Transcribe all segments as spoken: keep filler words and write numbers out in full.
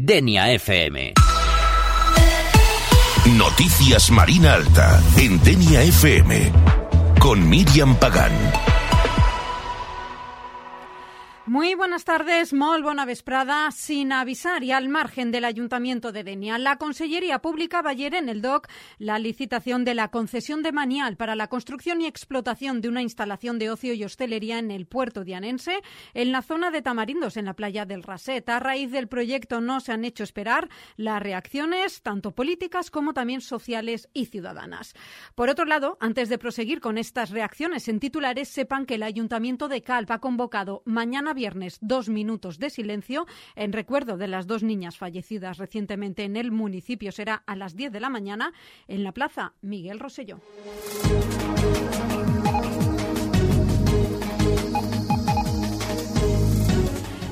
Denia F M. Noticias Marina Alta en Denia F M con Míriam Pagán. Muy buenas tardes, molt bona vesprada. Sin avisar y al margen del Ayuntamiento de Denia, la Consellería Pública va ayer en el D O C la licitación de la concesión de Manial para la construcción y explotación de una instalación de ocio y hostelería en el puerto dianense, en la zona de Tamarindos, en la playa del Raset. A raíz del proyecto no se han hecho esperar las reacciones, tanto políticas como también sociales y ciudadanas. Por otro lado, antes de proseguir con estas reacciones en titulares, sepan que el Ayuntamiento de Calp ha convocado mañana viernes dos minutos de silencio en recuerdo de las dos niñas fallecidas recientemente en el municipio. Será a las diez de la mañana en la plaza Miguel Rosselló.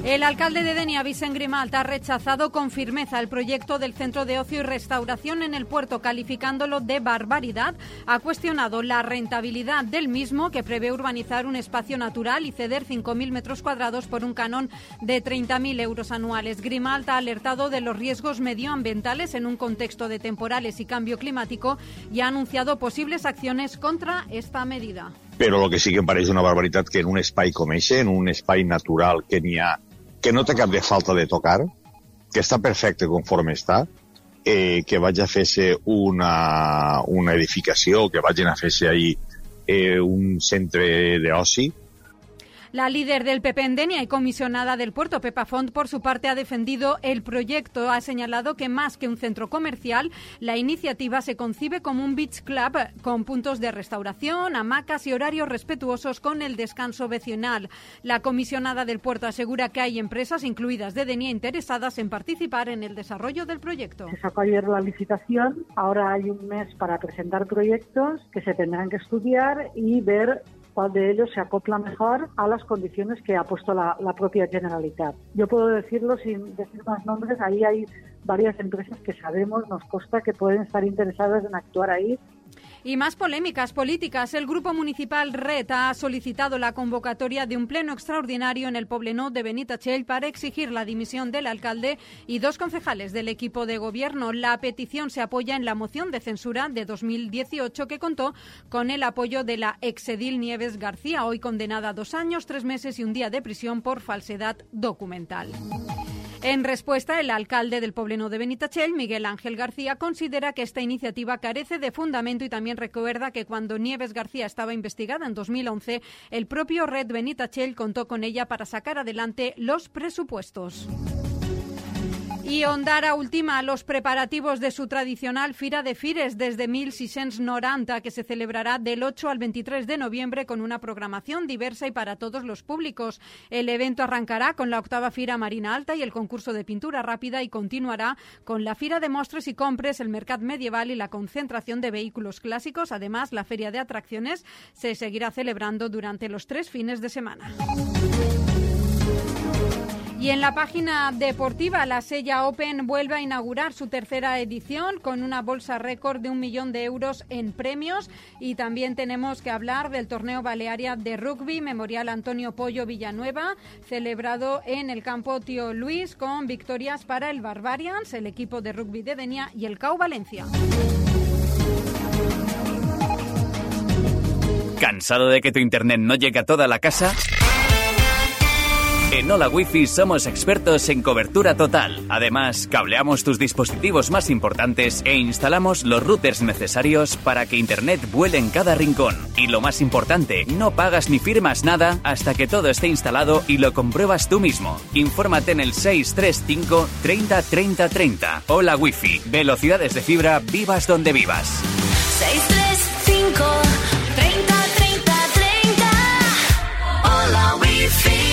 El alcalde de Denia, Vicent Grimalt, ha rechazado con firmeza el proyecto del Centro de Ocio y Restauración en el puerto, calificándolo de barbaridad. Ha cuestionado la rentabilidad del mismo, que prevé urbanizar un espacio natural y ceder cinco mil metros cuadrados por un canon de treinta mil euros anuales. Grimalt ha alertado de los riesgos medioambientales en un contexto de temporales y cambio climático y ha anunciado posibles acciones contra esta medida. Però el que sí que em pareix una barbaritat que en un espai com eixe, en un espai natural que n'hi ha, que no té cap de falta de tocar, que està perfecte conforme està, eh, que vagi a fer-se una, una edificació, que vagin a fer-se ahí eh, un centre d'oci. La líder del P P en Denia y comisionada del puerto, Pepa Font, por su parte ha defendido el proyecto. Ha señalado que más que un centro comercial, la iniciativa se concibe como un beach club con puntos de restauración, hamacas y horarios respetuosos con el descanso vecinal. La comisionada del puerto asegura que hay empresas, incluidas de Denia, interesadas en participar en el desarrollo del proyecto. Se sacó ayer la licitación, ahora hay un mes para presentar proyectos que se tendrán que estudiar y ver cuál de ellos se acopla mejor a las condiciones que ha puesto la, la propia Generalitat. Yo puedo decirlo sin decir más nombres, ahí hay varias empresas que sabemos, nos consta que pueden estar interesadas en actuar ahí. Y más polémicas políticas. El Grupo Municipal Red ha solicitado la convocatoria de un pleno extraordinario en el Poblenou de Benitatxell para exigir la dimisión del alcalde y dos concejales del equipo de gobierno. La petición se apoya en la moción de censura de dos mil dieciocho que contó con el apoyo de la exedil Nieves García, hoy condenada a dos años, tres meses y un día de prisión por falsedad documental. En respuesta, el alcalde del Poblenou de Benitatxell, Miguel Ángel García, considera que esta iniciativa carece de fundamento y también recuerda que cuando Nieves García estaba investigada en dos mil once, el propio Red Benitatxell contó con ella para sacar adelante los presupuestos. Y Ondara ultima los preparativos de su tradicional Fira de Fires desde mil seiscientos noranta, que se celebrará del ocho al veintitrés de noviembre con una programación diversa y para todos los públicos. El evento arrancará con la octava Fira Marina Alta y el concurso de pintura rápida y continuará con la Fira de Mostres y Compres, el Mercat Medieval y la concentración de vehículos clásicos. Además, la Feria de Atracciones se seguirá celebrando durante los tres fines de semana. Y en la página deportiva, la Sella Open vuelve a inaugurar su tercera edición con una bolsa récord de un millón de euros en premios. Y también tenemos que hablar del torneo Balearia de rugby Memorial Antonio Pollo Villanueva, celebrado en el campo Tío Luis, con victorias para el Barbarians, el equipo de rugby de Denia, y el C A U Valencia. ¿Cansado de que tu internet no llegue a toda la casa? En Hola Wi-Fi somos expertos en cobertura total. Además, cableamos tus dispositivos más importantes e instalamos los routers necesarios para que Internet vuele en cada rincón. Y lo más importante, no pagas ni firmas nada hasta que todo esté instalado y lo compruebas tú mismo. Infórmate en el seis tres cinco treinta treinta treinta. Hola Wi-Fi. Velocidades de fibra, vivas donde vivas. seis tres cinco treinta treinta treinta. Hola Wi-Fi.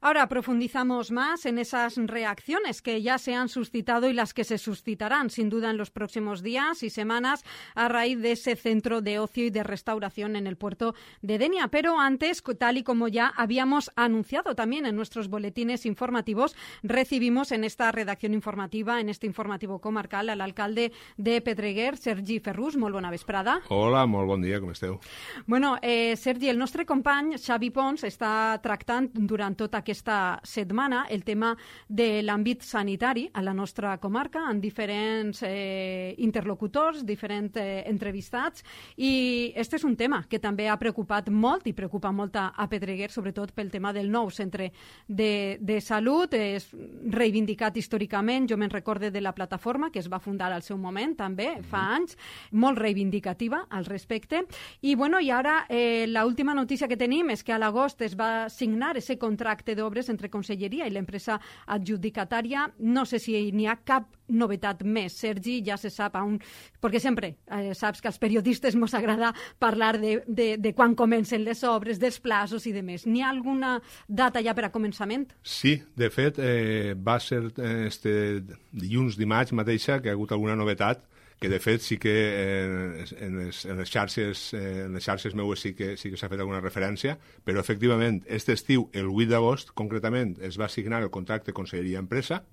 Ahora profundizamos más en esas reacciones que ya se han suscitado y las que se suscitarán sin duda en los próximos días y semanas a raíz de ese centro de ocio y de restauración en el puerto de Denia. Pero antes, tal y como ya habíamos anunciado también en nuestros boletines informativos, recibimos en esta redacción informativa, en este informativo comarcal, al alcalde de Pedreguer, Sergi Ferrús. Molt bona vesprada. Hola, molt bon dia, com esteu? Bueno, eh, Sergi, el nostre company Xavi Pons està tractant durant tot aquest aquesta setmana el tema de l'àmbit sanitari a la nostra comarca, amb diferents eh, interlocutors, diferents eh, entrevistats, i este és un tema que també ha preocupat molt i preocupa molt a, a Pedreguer, sobretot pel tema del nou centre de, de salut. És reivindicat històricament, jo me'n recorde de la plataforma que es va fundar al seu moment, també, fa anys, molt reivindicativa al respecte. I, bueno, i ara eh, l'última notícia que tenim és que a l'agost es va signar ese contracte d'obres entre Conselleria i l'empresa adjudicatària. No sé si n'hi ha cap novetat més, Sergi, ja se sap on... Perquè sempre eh, saps que als periodistes ens agrada parlar de, de, de quan comencen les obres, dels plaços i de més. N'hi ha alguna data ja per a començament? Sí, de fet, eh, va ser eh, este dilluns, dimarts mateixa, que ha hagut alguna novetat, que de fet sí que eh, en, les, en, les xarxes, eh, en les xarxes meues sí que, sí que s'ha fet alguna referència, però efectivament, este estiu, el vuit d'agost, concretament, es va signar el contracte Conselleria-Empresa.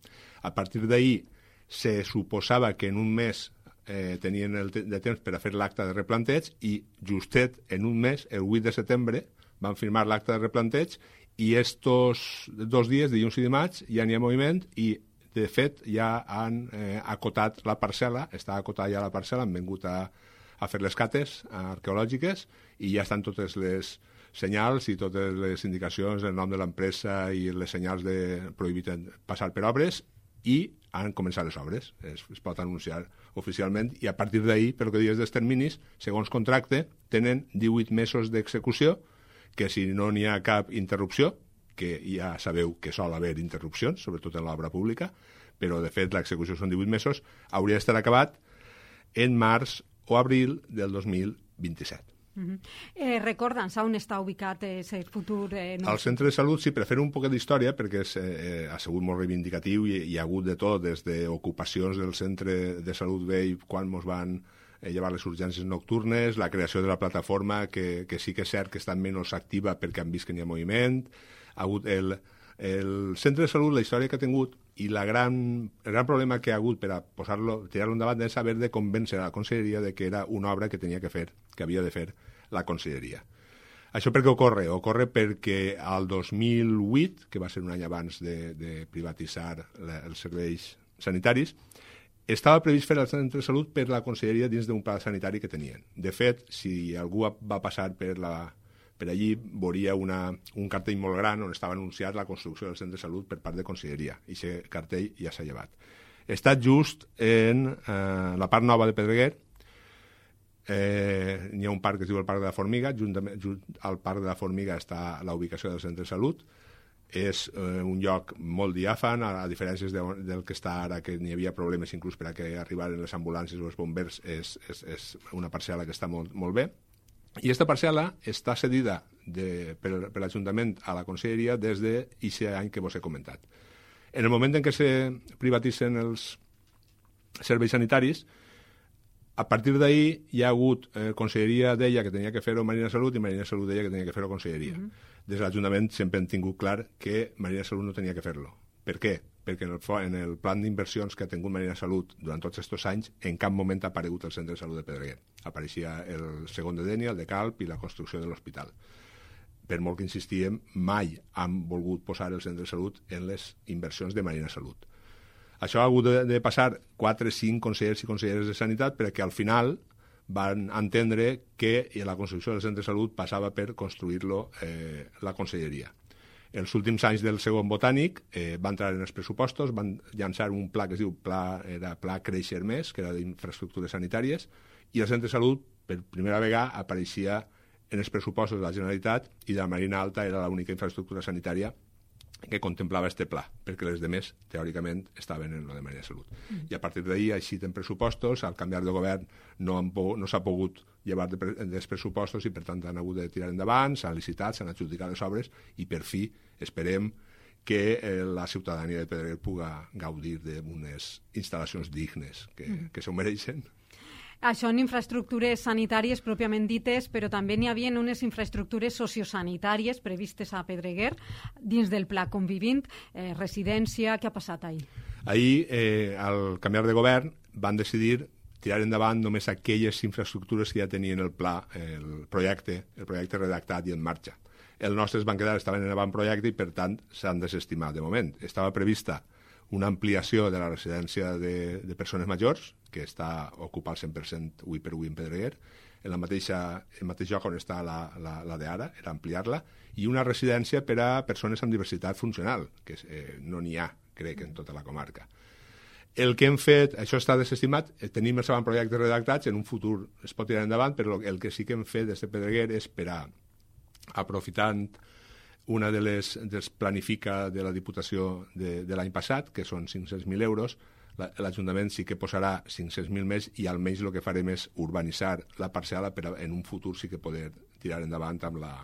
A partir d'ahir se suposava que en un mes eh, tenien el te de temps per a fer l'acte de replanteig i justet en un mes, el vuit de setembre, van firmar l'acte de replanteig i estos dos dies, dilluns i dimarts, ja n'hi ha moviment i, de fet, ja han eh, acotat la parcel·la, està acotada ja la parcel·la, han vingut a, a fer les cates arqueològiques i ja estan totes les senyals i totes les indicacions, el nom de l'empresa i les senyals de prohibit passar per obres i han començat les obres. Es, es pot anunciar oficialment i a partir d'ahir, pel que dius dels terminis, segons contracte, tenen divuit mesos d'execució, que si no n'hi ha cap interrupció, que ja sabeu que sol haver interrupcions, sobretot en l'obra pública, però de fet l'execució són divuit mesos, hauria d'estar acabat en març o abril del dos mil vint-i-set. Uh-huh. eh, Recorda'ns on està ubicat el futur... Eh, no Al centre de salut, sí, per fer un poquet d'història, perquè és, eh, ha sigut molt reivindicatiu i hi ha hagut de tot, des d'ocupacions del centre de salut vell quan ens van eh, llevar les urgències nocturnes, la creació de la plataforma, que, que sí que és cert que està menys activa perquè han vist que n'hi ha moviment, ha hagut el, el centre de salut, la història que ha tingut i la gran, el gran problema que ha hagut per a posar-lo, tirar-lo endavant és haver de convèncer a la Conselleria de que era una obra que tenia que fer, que havia de fer la Conselleria. Això per què ocorre? Ocorre perquè al dos mil vuit, que va ser un any abans de, de privatitzar la, els serveis sanitaris, estava previst fer el centre de salut per la Conselleria dins d'un pla sanitari que tenien. De fet, si algú va passar per, la, per allí, veuria una, un cartell molt gran on estava anunciat la construcció del centre de salut per part de Conselleria. I aquest cartell ja s'ha llevat. Està just en eh, la part nova de Pedreguer. Eh, hi ha un parc que es diu el Parc de la Formiga. Juntament, junt al Parc de la Formiga està la ubicació del centre de salut. És eh, un lloc molt diàfan, a, a diferències de, del que està ara, que n'hi havia problemes inclús per a que arribaren les ambulàncies o els bombers. És, és, és una parcel·la que està molt, molt bé. I aquesta parcel·la està cedida de, per, per l'Ajuntament a la Conselleria des d'aquest any que vos he comentat. En el moment en què se privatitzen els serveis sanitaris, a partir d'ahir hi ha hagut eh, Conselleria deia que tenia que fer-ho Marina Salut i Marina Salut deia que tenia que fer-ho Conselleria. Uh-huh. Des de l'Ajuntament sempre hem tingut clar que Marina Salut no tenia que fer-lo. Per què? Perquè en el, en el plan d'inversions que ha tingut Marina Salut durant tots aquests anys en cap moment ha aparegut el centre de salut de Pedreguer. Apareixia el segon de Dénia, el de Calp i la construcció de l'hospital. Per molt que insistíem, mai han volgut posar el centre de salut en les inversions de Marina Salut. Això ha hagut de, de passar quatre o cinc consellers i conselleres de Sanitat perquè al final van entendre que la construcció del centre de salut passava per construir-lo eh, la Conselleria. Els últims anys del segon botànic eh, va entrar en els pressupostos, van llançar un pla que es diu Pla, era Pla Créixer Més, que era d'infraestructures sanitàries, i el centre de salut per primera vegada apareixia en els pressupostos de la Generalitat i de la Marina Alta era l'única infraestructura sanitària que contemplava este pla, perquè les demés, teòricament, estaven en lo de Marina Salut. Mm. I a partir d'ahir, així en pressupostos, al canviar de govern no, han po no s'ha pogut llevar de pre dels pressupostos i, per tant, han hagut de tirar endavant, s'han licitat, s'han adjudicat les obres i, per fi, esperem que eh, la ciutadania de Pedreguer puga gaudir d'unes instal·lacions dignes que, mm. que s'ho mereixen. Això en infraestructures sanitàries pròpiament dites, però també n'hi havia unes infraestructures sociosanitàries previstes a Pedreguer dins del Pla Convivint, eh, residència. Què ha passat ahir? Ahir, eh, al canviar de govern, van decidir tirar endavant només aquelles infraestructures que ja tenien el pla, el projecte, el projecte redactat i en marxa. els nostres van quedar, estaven en avantprojecte i, per tant, s'han desestimat de moment. Estava prevista una ampliació de la residència de, de persones majors, que està ocupada al cent per cent avui per avui en Pedreguer, en la mateixa, el mateix lloc on està la, la, la d'ara, era ampliar-la, i una residència per a persones amb diversitat funcional, que eh, no n'hi ha, crec, en tota la comarca. El que hem fet, això està desestimat, tenim els avantprojectes redactats, en un futur es pot tirar endavant, però el que sí que hem fet des de Pedreguer és per a, aprofitant una de les dels planifica de la Diputació de, de l'any passat, que són cinc-cents mil euros, l'Ajuntament sí que posarà cinc-cents mil més i almenys el que farem és urbanitzar la parcel·la per a, en un futur sí que poder tirar endavant amb la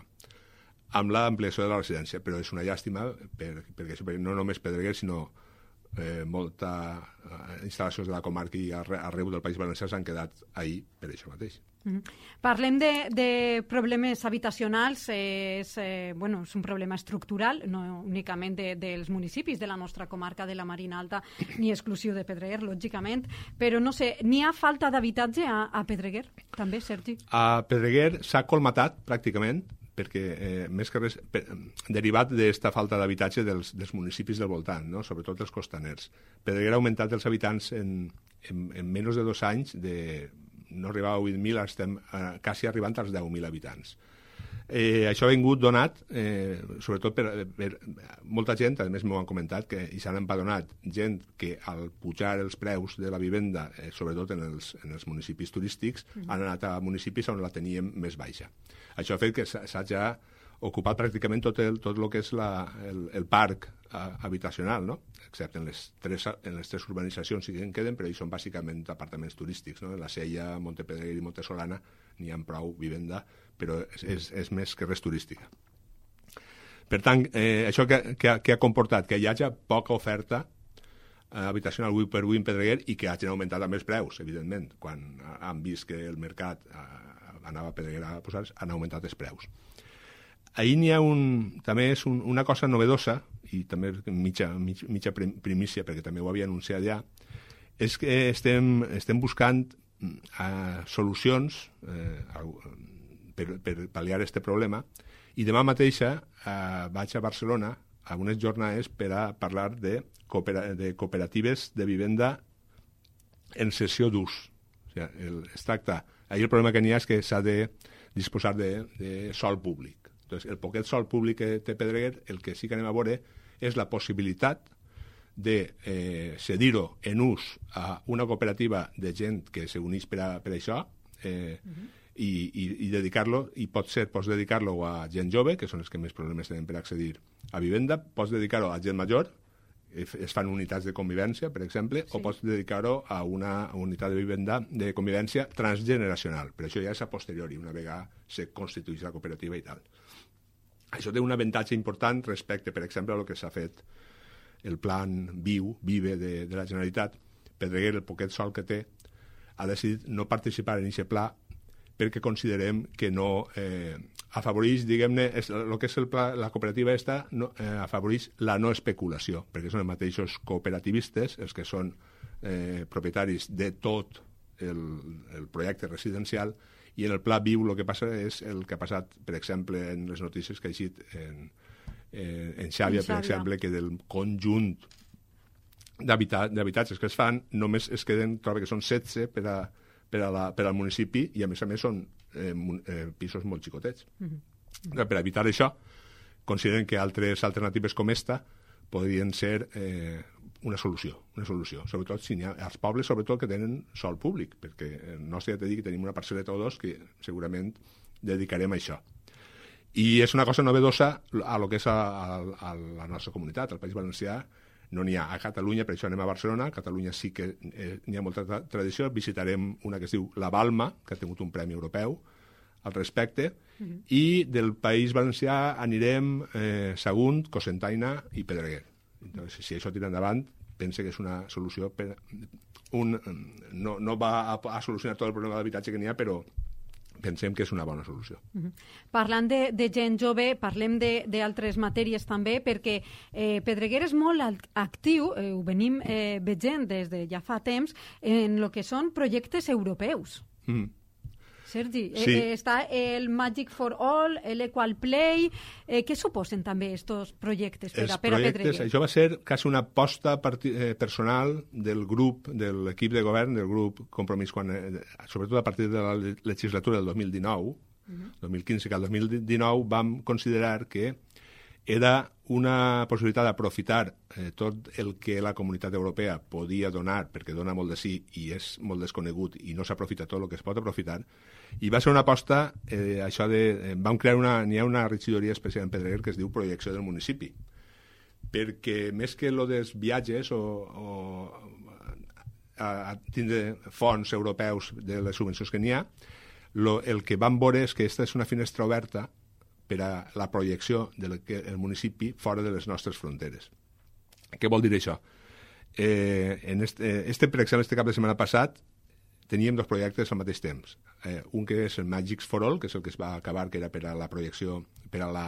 amb l'ampliació de la residència. Però és una llàstima per, perquè, perquè no només Pedreguer, sinó eh, molta eh, instal·lacions de la comarca i arreu del País Valencià s'han quedat ahí per això mateix. Mm. Parlem de, de problemes habitacionals, eh, és, eh, bueno, és un problema estructural, no únicament de, dels municipis de la nostra comarca de la Marina Alta, ni exclusiu de Pedreguer, lògicament, però no sé, n'hi ha falta d'habitatge a, a Pedreguer, també, Sergi? A Pedreguer s'ha colmatat, pràcticament, perquè eh, més que res, per, derivat d'esta falta d'habitatge dels, dels municipis del voltant, no? Sobretot els costaners. Pedreguer ha augmentat els habitants en, en, en menys de dos anys de no arribava a vuit mil, estem eh, quasi arribant als deu mil habitants. Eh, això ha vingut donat, eh, sobretot per, per molta gent, a més m'ho han comentat, que i s'han empadronat gent que al pujar els preus de la vivenda, eh, sobretot en els, en els municipis turístics, mm. han anat a municipis on la teníem més baixa. Això ha fet que s'ha ja ocupat pràcticament tot el, tot el que és la, el, el parc uh, habitacional, no? Excepte en les, tres, en les tres urbanitzacions sí que en queden, però ells són bàsicament apartaments turístics, no? En la Sella, Montepedreguer i Montesolana n'hi ha prou vivenda, però és, és, és més que res turística. Per tant, eh, això que, que, ha, que ha comportat que hi hagi poca oferta eh, habitacional avui per avui en Pedreguer i que hagin augmentat també els preus, evidentment. Quan han vist que el mercat eh, anava a Pedreguer a posar, han augmentat els preus. Ahir n'hi ha un, també és un, una cosa novedosa, i també mitja, mitja, mitja primícia, perquè també ho havia anunciat ja, és que estem, estem buscant uh, solucions uh, per, per pal·liar aquest problema, i demà mateixa uh, vaig a Barcelona a unes jornades per a parlar de, coopera, de cooperatives de vivenda en cessió d'ús. O sigui, el, es tracta, ahir el problema que n'hi ha és que s'ha de disposar de, de sòl públic. Entonces, el poquet sòl públic que té Pedreguer, el que sí que anem a veure és la possibilitat de eh, cedir-ho en ús a una cooperativa de gent que s'uneix per, a, per això eh, uh-huh. i, i, i dedicar-lo, i pot ser, pots dedicar-lo a gent jove, que són els que més problemes tenen per accedir a vivenda, pots dedicar-ho a gent major, es fan unitats de convivència, per exemple, sí. o pots dedicar-ho a una unitat de vivenda de convivència transgeneracional. Per això ja és a posteriori, una vegada se constitueix la cooperativa i tal. Això té un avantatge important respecte, per exemple, a el que s'ha fet el plan Viu, Vive de, de la Generalitat. Pedreguer, el poquet sol que té, ha decidit no participar en aquest pla perquè considerem que no eh, afavoreix, diguem-ne, el que és el pla, la cooperativa esta, no, eh, afavoreix la no especulació, perquè són els mateixos cooperativistes els que són eh, propietaris de tot el, el projecte residencial, i en el pla Viu el que passa és el que ha passat, per exemple, en les notícies que ha eixit en, en, en Xàbia, per exemple, que del conjunt d'habitatges que es fan només es queden, trobo que són setze per, a, per, a la, per al municipi, i a més a més són eh, eh, pisos molt xicotets. Mm-hmm. Per evitar això, consideren que altres alternatives com esta podrien ser eh, una solució, una solució. Sobretot si n'hi ha als pobles, sobretot que tenen sòl públic, perquè el nostre ja t'he dit que tenim una parcel·leta o dos que segurament dedicarem a això. I és una cosa novedosa a lo que és a, a, a la nostra comunitat, al País Valencià. No n'hi ha a Catalunya, per això anem a Barcelona. A Catalunya sí que eh, n'hi ha molta tra tradició. Visitarem una que es diu La Balma, que ha tingut un premi europeu al respecte, mm-hmm. i del País Valencià anirem eh, Sagunt, Cocentaina i Pedreguer. Entonces, si això tira endavant, pense que és una solució per un, no, no va a, a solucionar tot el problema d'habitatge que n'hi ha, però pensem que és una bona solució. Uh-huh. Parlant de, de gent jove, parlem d'altres matèries també, perquè eh, Pedreguer és molt actiu, eh, ho venim eh, veient des de ja fa temps, en el que són projectes europeus. Mm. Sergi, Sí. eh, està el Magic for All, l'Equal Play. Eh, què suposen també aquests projectes per, Els a, per a projectes, Pedreguer? això va ser quasi una aposta parti, eh, personal del grup, de l'equip de govern, del grup Compromís, quan, eh, sobretot a partir de la legislatura del dos mil dinou, uh-huh. dos mil quinze que al dos mil dinou vam considerar que era una possibilitat d'aprofitar eh, tot el que la comunitat europea podia donar, perquè dona molt de sí i és molt desconegut i no s'aprofita tot el que es pot aprofitar, i va ser una aposta, eh, això de... Eh, vam crear una... N'hi ha una regidoria especial en Pedreguer que es diu Projecció del Municipi, perquè més que lo dels viatges o, o a, a tindre fons europeus de les subvencions que n'hi ha, lo, el que vam veure és que aquesta és una finestra oberta per a la projecció del el municipi fora de les nostres fronteres. Què vol dir això? Eh, en este, este, per exemple, este cap de setmana passat teníem dos projectes al mateix temps. Eh, un que és el Magics for All, que és el que es va acabar, que era per a la projecció, per a la,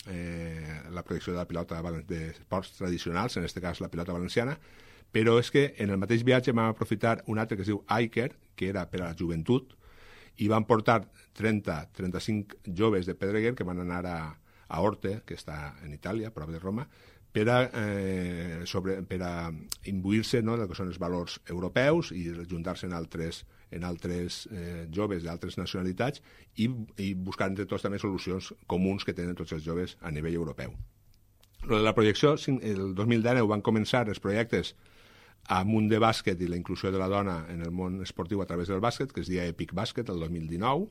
eh, la projecció de la pilota d'esports tradicionals, en aquest cas la pilota valenciana, però és que en el mateix viatge vam aprofitar un altre que es diu Iker, que era per a la joventut, i van portar trenta a trenta-cinc joves de Pedreguer que van anar a, a Orte, que està en Itàlia, prop de Roma, per a, eh, sobre, per a imbuir-se, no, del que són els valors europeus i juntar-se en altres, en altres eh, joves d'altres nacionalitats i, i buscar entre tots també solucions comuns que tenen tots els joves a nivell europeu. La projecció, el dos mil dinou van començar els projectes amb un de bàsquet i la inclusió de la dona en el món esportiu a través del bàsquet, que es deia Epic Bàsquet, el dos mil dinou,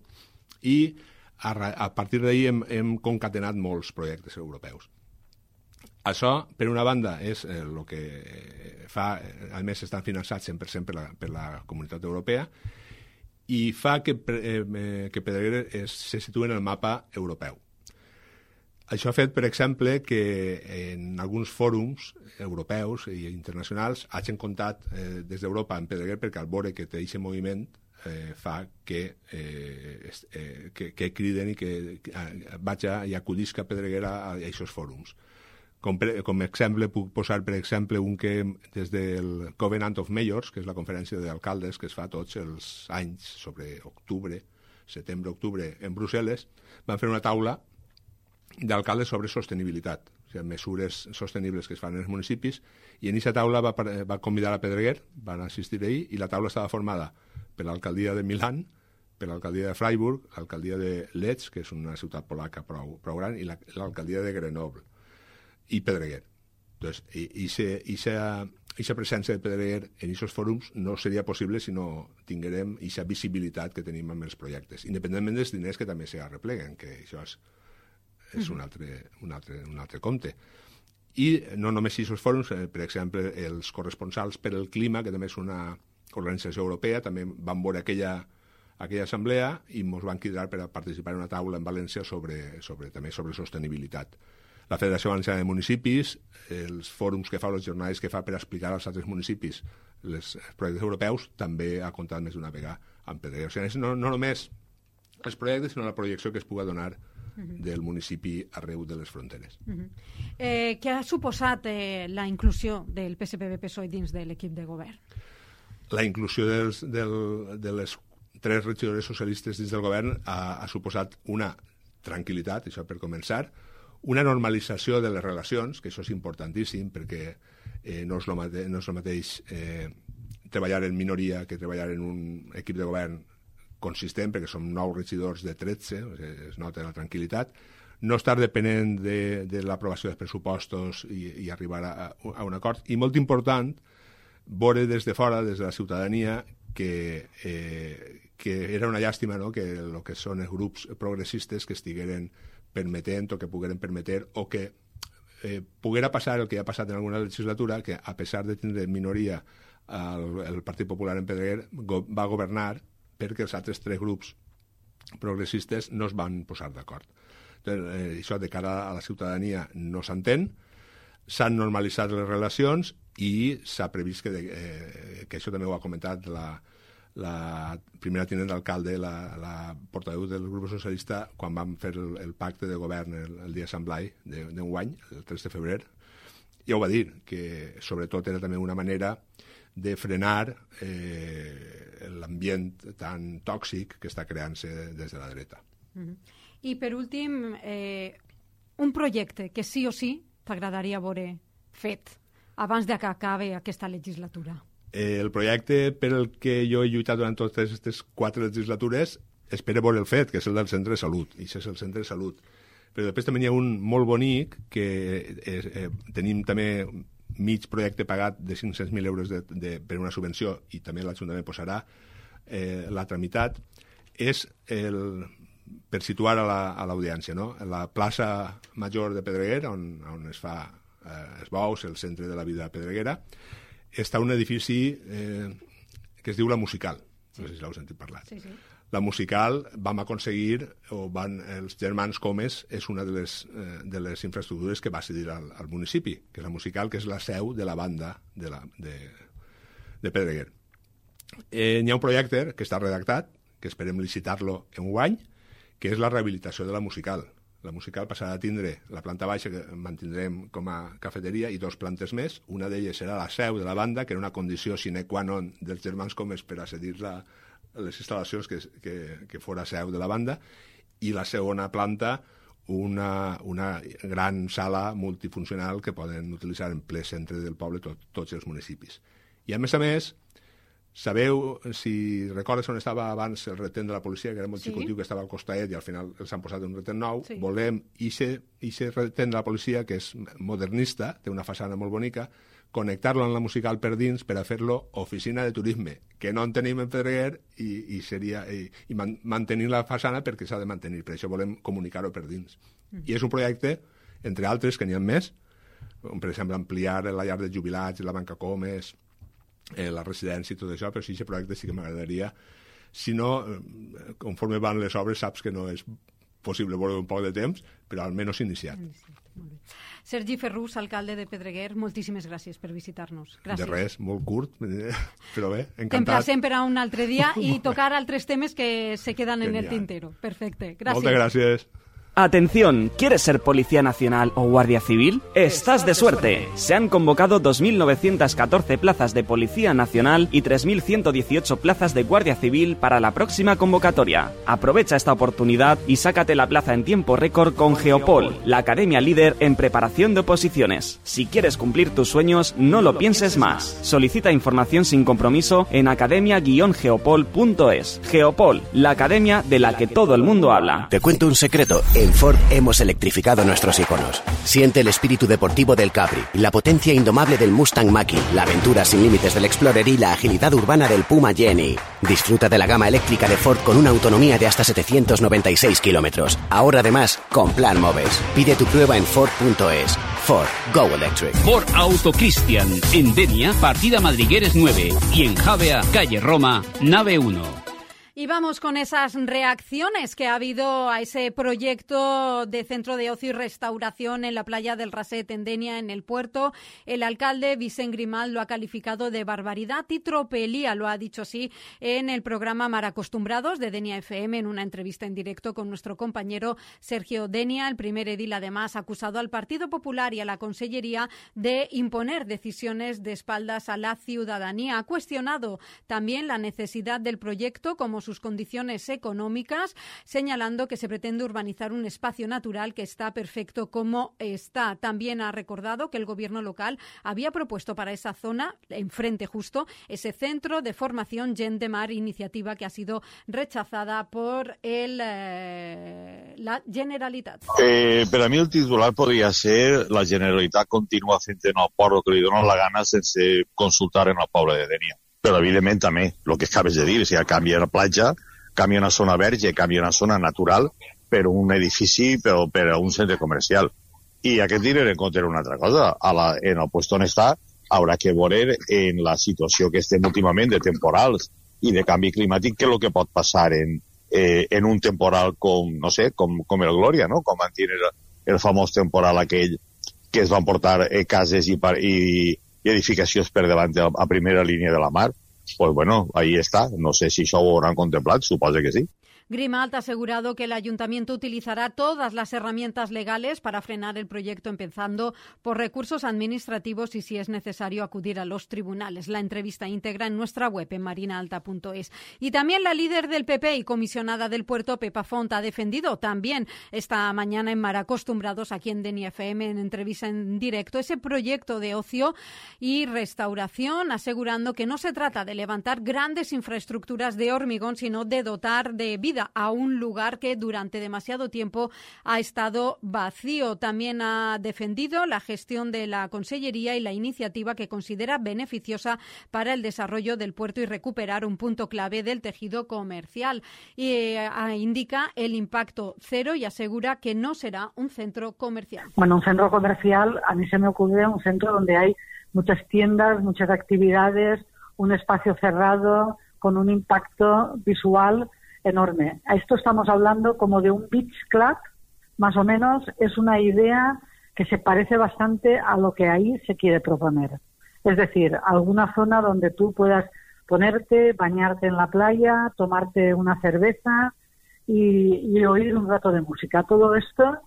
i a, a partir d'ahir hem, hem concatenat molts projectes europeus. Això, per una banda, és el eh, que fa, a més estan finançats cent per cent per la, per la comunitat europea, i fa que, eh, que Pedreguer es, se situa en el mapa europeu. Això ha fet, per exemple, que en alguns fòrums europeus i internacionals hagin comptat eh, des d'Europa en Pedreguer perquè al veure que té aquest moviment eh, fa que, eh, eh, que, que criden i que eh, vaig a, i acudisca Pedreguer a aquests fòrums. Com, per, com exemple puc posar, per exemple, un que des del Covenant of Mayors, que és la conferència d'alcaldes que es fa tots els anys sobre octubre, setembre-octubre en Brussel·les, van fer una taula d'alcaldes sobre sostenibilitat, o sigui, mesures sostenibles que es fan en els municipis, i en aquesta taula va, va convidar a Pedreguer, van assistir ahir, i la taula estava formada per l'alcaldia de Milán, per l'alcaldia de Freiburg, l'alcaldia de Lech, que és una ciutat polaca prou, prou gran, i l'alcaldia de Grenoble, i Pedreguer. Entonces, aquesta presència de Pedreguer en aquests fòrums no seria possible si no tinguérem aquesta visibilitat que tenim amb els projectes, independentment dels diners que també s'hi arrepleguen, que això és és un altre, un altre, un altre compte. I no només aquests fòrums, eh, per exemple, els corresponsals per el clima, que també és una organització europea, també van veure aquella, aquella assemblea i ens van cridar per a participar en una taula en València sobre, sobre, també sobre sostenibilitat. La Federació Valenciana de Municipis, els fòrums que fa, les jornades que fa per explicar als altres municipis les, els projectes europeus, també ha comptat més d'una vegada amb Pedreguer. O sigui, no, no només els projectes, sinó la projecció que es pugui donar del municipi arreu de les fronteres. Uh-huh. eh, què ha suposat eh, la inclusió del P S P B P S O E dins de l'equip de govern? La inclusió dels, del, de les tres regidores socialistes dins del govern ha, ha suposat una tranquil·litat, això per començar, una normalització de les relacions, que això és importantíssim perquè eh, no, és lo mate, no és el mateix eh, treballar en minoria que treballar en un equip de govern consistent, perquè som nou regidors de tretze, es nota la tranquil·litat, no estar depenent de, de l'aprovació dels pressupostos i, i arribar a, a un acord. I molt important, veure des de fora, des de la ciutadania, que, eh, que era una llàstima, no?, que el que són els grups progressistes que estigueren permetent o que pogueren permetre o que eh, poguera passar el que ha passat en alguna legislatura, que a pesar de tindre minoria el, el Partit Popular en Pedreguer go, va governar perquè els altres tres grups progressistes no es van posar d'acord. Eh, això de cara a la ciutadania no s'entén, s'han normalitzat les relacions i s'ha previst que, de, eh, que això també ho ha comentat la, la primera tinent d'alcalde, la, la portaveu del grup socialista, quan vam fer el, el pacte de govern el, el dia de Sant Blai d'enguany, el tres de febrer, ja ho va dir, que sobretot era també una manera de frenar eh, l'ambient tan tòxic que està creant-se des de la dreta. Mm-hmm. I per últim, eh, un projecte que sí o sí t'agradaria veure fet abans de que acabi aquesta legislatura. Eh, el projecte per el que jo he lluitat durant totes aquestes quatre legislatures espero veure el fet, que és el del centre de salut, i això és el centre de salut. Però després també hi ha un molt bonic, que eh, eh, tenim també mig projecte pagat de cinc-cents mil euros de, de, per una subvenció, i també l'Ajuntament posarà eh, la tramitat, és el, per situar a l'audiència, no? La plaça Major de Pedreguer, on, on es fa eh, els bous, el centre de la vida pedreguera, està un edifici eh, que es diu La Musical. No sé si l'heu sentit parlar. Sí, sí. La Musical vam aconseguir, o van, els germans Comes, és una de les, eh, de les infraestructures que va cedir al, al municipi, que és la Musical, que és la seu de la banda de, la, de, de Pedreguer. Eh, hi ha un projecte que està redactat, que esperem licitar-lo en un any, que és la rehabilitació de la Musical. La Musical passarà a tindre la planta baixa, que mantindrem com a cafeteria, i dos plantes més. Una d'elles serà la seu de la banda, que era una condició sine qua non dels germans Comes per accedir-la les instal·lacions, que, que, que fora seu de la banda, i la segona planta una, una gran sala multifuncional que poden utilitzar en ple centre del poble tot, tots els municipis. I a més a més, sabeu, si recordes on estava abans el retén de la policia, que era molt sí. xicotiu, que estava al costaet i al final els han posat un retén nou, sí. volem aquest retén de la policia, que és modernista, té una façana molt bonica, connectar-lo amb la Musical per dins per a fer-lo oficina de turisme, que no en tenim en Pedreguer, i, i, seria, i, i man, mantenir la façana perquè s'ha de mantenir, per això volem comunicar-ho per dins. Mm. I és un projecte, entre altres, que n'hi ha més, com per exemple ampliar la llar de jubilats, la banca Comes, eh, la residència i tot això, però sí, aquest projecte sí que m'agradaria. Si no, eh, conforme van les obres, saps que no és possible veure un poc de temps, però almenys iniciat. Molt bé. Sergi Ferrús, alcalde de Pedreguer, moltíssimes gràcies per visitar-nos. Gràcies. De res, molt curt, però bé, encantat. T'emplacem per a un altre dia i tocar altres temes que se quedan en el tintero. Perfecte, gràcies. Moltes gràcies. Atención, ¿quieres ser policía nacional o guardia civil? Estás de suerte. Se han convocado dos mil novecientas catorce plazas de policía nacional y tres mil ciento dieciocho plazas de guardia civil para la próxima convocatoria. Aprovecha esta oportunidad y sácate la plaza en tiempo récord con Geopol, la academia líder en preparación de oposiciones. Si quieres cumplir tus sueños, no lo pienses más. Solicita información sin compromiso en academia guion geopol punto es. Geopol, la academia de la que todo el mundo habla. Te cuento un secreto. En Ford hemos electrificado nuestros iconos. Siente el espíritu deportivo del Capri, la potencia indomable del Mustang Mach-E, la aventura sin límites del Explorer y la agilidad urbana del Puma Jenny. Disfruta de la gama eléctrica de Ford con una autonomía de hasta setecientos noventa y seis kilómetros. Ahora además con Plan Moves. Pide tu prueba en Ford punto es. Ford, Go Electric. Ford Auto Cristian, en Denia, partida Madrigueres nueve, y en Javea, calle Roma, nave uno. Y vamos con esas reacciones que ha habido a ese proyecto de centro de ocio y restauración en la playa del Raset, en Denia, en el puerto. El alcalde Vicent Grimal lo ha calificado de barbaridad y tropelía, lo ha dicho así en el programa Mar Acostumbrados de Denia F M, en una entrevista en directo con nuestro compañero Sergio Denia. El primer edil, además, ha acusado al Partido Popular y a la Consellería de imponer decisiones de espaldas a la ciudadanía. Ha cuestionado también la necesidad del proyecto como sus condiciones económicas, señalando que se pretende urbanizar un espacio natural que está perfecto como está. También ha recordado que el gobierno local había propuesto para esa zona, enfrente justo, ese centro de formación Gent de Mar, iniciativa que ha sido rechazada por el, eh, la Generalitat. Eh, per a mi el titular podria ser la Generalitat continua fent en el port el que li dona la gana sense consultar en el poble de Denia. Però, evidentment, també, el que acabes de dir, si canvia la platja, canvia una zona verge, canvia una zona natural per un edifici, per, per un centre comercial. I aquest tindre en compte una altra cosa. A la, en el lloc on està, haurà que veure en la situació que estem últimament de temporals i de canvi climàtic, què és el que pot passar en, eh, en un temporal com, no sé, com, com el Glòria, no? Com van tenir el, el famós temporal aquell que es van portar eh, cases i, i i edificacions per davant a primera línia de la mar. Pues bueno, ahí està. No sé si això ho hauran contemplat, suposo que sí. Grimalt ha asegurado que el ayuntamiento utilizará todas las herramientas legales para frenar el proyecto, empezando por recursos administrativos y, si es necesario, acudir a los tribunales. La entrevista íntegra en nuestra web en marina alta punto es. Y también la líder del P P y comisionada del puerto, Pepa Font, ha defendido también esta mañana en Mar Acostumbrados, aquí en Denia F M, en entrevista en directo, ese proyecto de ocio y restauración, asegurando que no se trata de levantar grandes infraestructuras de hormigón, sino de dotar de vida a un lugar que durante demasiado tiempo ha estado vacío. También ha defendido la gestión de la Consellería y la iniciativa que considera beneficiosa para el desarrollo del puerto y recuperar un punto clave del tejido comercial. Y eh, indica el impacto cero y asegura que no será un centro comercial. Bueno, un centro comercial, a mí se me ocurre un centro donde hay muchas tiendas, muchas actividades, un espacio cerrado con un impacto visual enorme. A esto estamos hablando como de un beach club, más o menos. Es una idea que se parece bastante a lo que ahí se quiere proponer. Es decir, alguna zona donde tú puedas ponerte, bañarte en la playa, tomarte una cerveza y, y oír un rato de música. Todo esto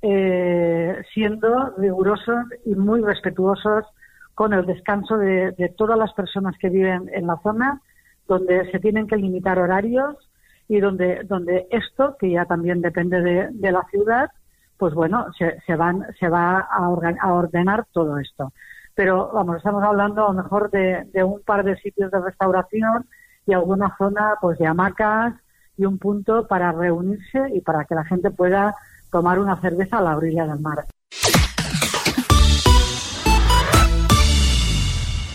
eh, siendo rigurosos y muy respetuosos con el descanso de, de todas las personas que viven en la zona, donde se tienen que limitar horarios y donde, donde esto, que ya también depende de, de la ciudad, pues bueno, se, se, van, se va a, organ, a ordenar todo esto. Pero vamos, estamos hablando a lo mejor de, de un par de sitios de restauración y alguna zona pues de hamacas y un punto para reunirse y para que la gente pueda tomar una cerveza a la orilla del mar.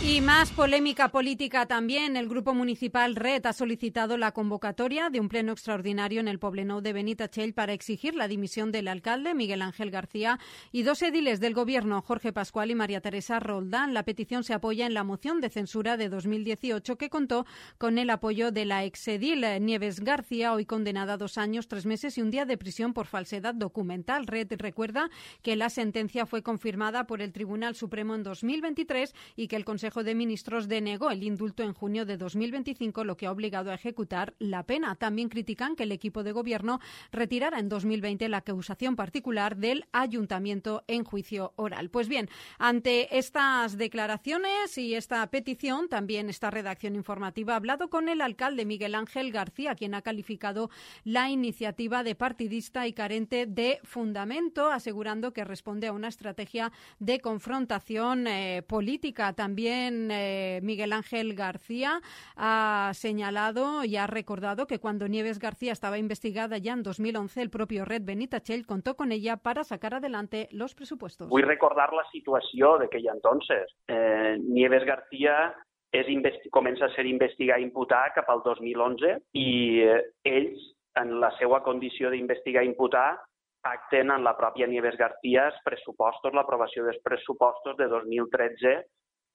Y más polémica política también. El Grupo Municipal Red ha solicitado la convocatoria de un pleno extraordinario en el Poblenou de Benitatxell para exigir la dimisión del alcalde, Miguel Ángel García, y dos ediles del Gobierno, Jorge Pascual y María Teresa Roldán. La petición se apoya en la moción de censura de dos mil dieciocho que contó con el apoyo de la exedil Nieves García, hoy condenada a dos años, tres meses y un día de prisión por falsedad documental. Red recuerda que la sentencia fue confirmada por el Tribunal Supremo en dos mil veintitrés y que el Consejo de Ministros denegó el indulto en junio de dos mil veinticinco, lo que ha obligado a ejecutar la pena. También critican que el equipo de gobierno retirara en dos mil veinte la acusación particular del ayuntamiento en juicio oral. Pues bien, ante estas declaraciones y esta petición, también esta redacción informativa ha hablado con el alcalde Miguel Ángel García, quien ha calificado la iniciativa de partidista y carente de fundamento, asegurando que responde a una estrategia de confrontación eh, política. También eh, Miguel Ángel García ha señalado y ha recordado que cuando Nieves García estaba investigada ya en dos mil once, el propio Red Benitatxell contó con ella para sacar adelante los presupuestos. Vull recordar la situació d'aquell entonces. Eh, Nieves García és investi- comença a ser investigar i imputar cap al dos mil onze i eh, ells, en la seva condició d'investigar i imputar, pacten en la pròpia Nieves García els pressupostos, l'aprovació dels pressupostos de dos mil tretze,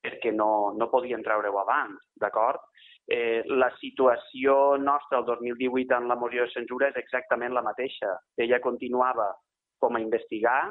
perquè no, no podien treure-ho abans, d'acord? Eh, la situació nostra el dos mil divuit en la moció de censura és exactament la mateixa. Ella continuava com a investigar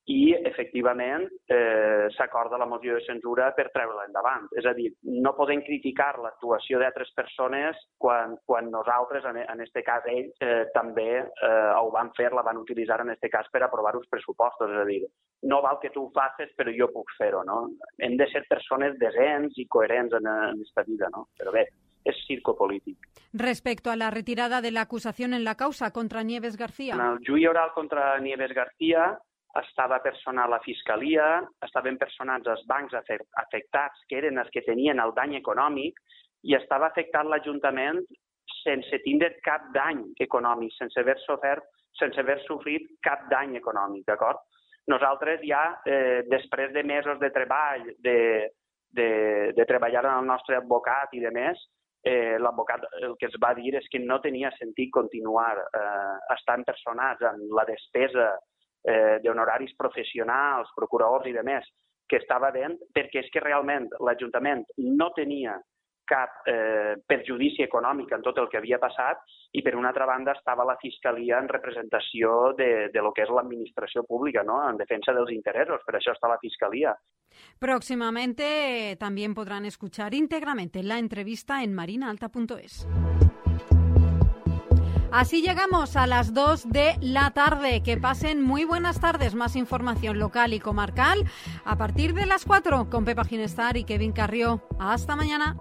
i, efectivament, eh, s'acorda la moció de censura per treure-la endavant. És a dir, no podem criticar l'actuació d'altres persones quan, quan nosaltres, en aquest cas ells, eh, també eh, ho van fer, la van utilitzar en aquest cas per aprovar els pressupostos. És a dir, no val que tu ho facis, però jo puc fer-ho, no? Hem de ser persones decents i coherents en aquesta vida, no? Però bé, es circo polític. Respecto a la retirada de la acusación en la causa contra Nieves García. En el juici oral contra Nieves García estava personat la Fiscalia, estaven personats els bancs afectats, que eren els que tenien el dany econòmic, i estava afectat l'Ajuntament sense tindre cap dany econòmic, sense haver sofert, sense haver sofrit cap dany econòmic, d'acord? Nosaltres ja, eh, després de mesos de treball, de, de, de treballar amb el nostre advocat i de més, eh, l'advocat el que es va dir és que no tenia sentit continuar eh, estant personats en la despesa eh, d'honoraris professionals, procuradors i demés, que estava dent, perquè és que realment l'Ajuntament no tenia cap eh, perjudici econòmic en tot el que havia passat i, per una altra banda, estava la Fiscalia en representació de, de lo que és l'administració pública, ¿no? En defensa dels interessos. Per això està la Fiscalia. Próximamente también podrán escuchar íntegramente la entrevista en marina alta punto es. Así llegamos a las dos de la tarde. Que pasen muy buenas tardes. Más información local y comarcal a partir de las cuatro con Pepa Ginestar y Kevin Carrió. Hasta mañana.